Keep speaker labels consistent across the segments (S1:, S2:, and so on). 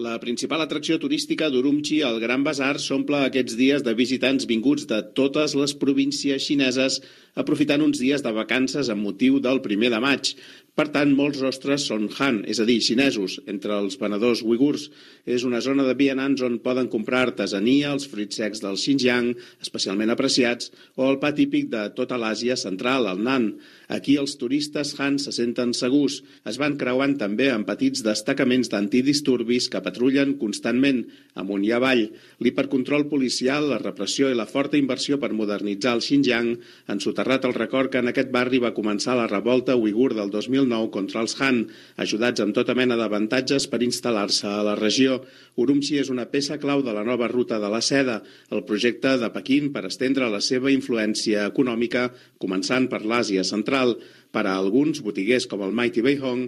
S1: La principal atracció turística d'Urumqi, el Gran Bazar, s'omple aquests dies de visitants vinguts de totes les províncies xineses, aprofitant uns dies de vacances amb motiu del 1 de maig. Per tant, molts rostres són Han, és a dir, xinesos, entre els venedors uigurs. És una zona de vianants on poden comprar artesania, els fruits secs del Xinjiang, especialment apreciats, o el pa típic de tota l'Àsia central, el nan. Aquí els turistes Han se senten segurs. Es van creuant també amb petits destacaments d'antidisturbis que patrullen constantment, amunt i avall. L'hipercontrol policial, la repressió i la forta inversió per modernitzar el Xinjiang han soterrat el record que en aquest barri va començar la revolta uigur del 2009 contra els Han, ajudats amb tota mena d'avantatges per instal·lar-se a la regió. Urumqi és una peça clau de la nova ruta de la seda, el projecte de Pequín per estendre la seva influència econòmica, començant per l'Àsia central. Per a alguns botiguers com el Mighty Beihong,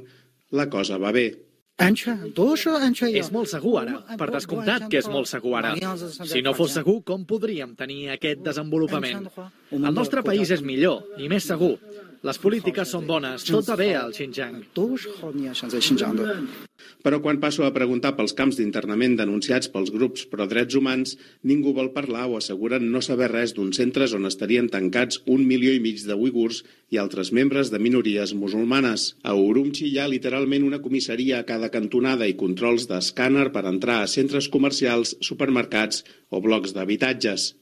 S1: la cosa va bé.
S2: És molt segur ara, per descomptat que és molt segur ara. Si no fos segur, com podríem tenir aquest desenvolupament? El nostre país és millor i més segur. Les polítiques són bones, tot va bé al Xinjiang.
S1: Però quan passo a preguntar pels camps d'internament denunciats pels grups pro drets humans, ningú vol parlar o asseguren no saber res d'uns centres on estarien tancats 1,5 milió de uigurs i altres membres de minories musulmanes. A Urumqi hi ha literalment una comissaria a cada cantonada i controls d'escàner per entrar a centres comercials, supermercats o blocs d'habitatges.